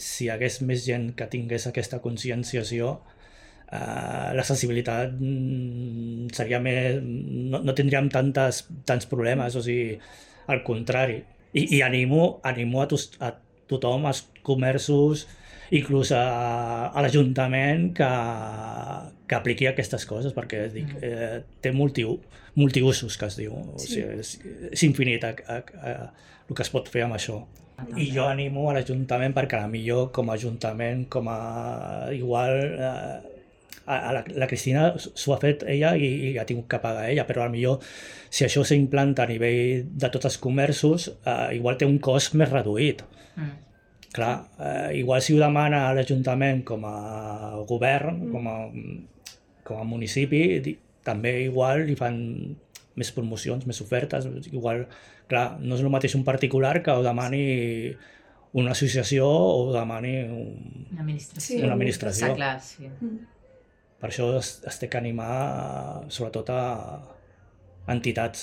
si hi hagués més gent que tingués aquesta conscienciació, l'accessibilitat seria més... no tindríem tants problemes, o sigui, al contrari. I animo a tothom, als comerços, inclús a l'Ajuntament, que apliqui aquestes coses, perquè dic, té multiusos, que es diu. O sigui, és infinit el que es pot fer amb això. I jo animo a l'Ajuntament perquè potser com a Ajuntament, igual la Cristina s'ho ha fet ella i ha tingut que pagar ella, però potser si això s'implanta a nivell de tots els comerços, igual té un cost més reduït. Clar, igual si ho demana a l'Ajuntament com a govern, com a municipi, també igual li fan més promocions, més ofertes. Igual, clar, no és el mateix un particular que ho demani una associació o ho demani una administració. Està clar, sí. Per això es té que animar sobretot a entitats.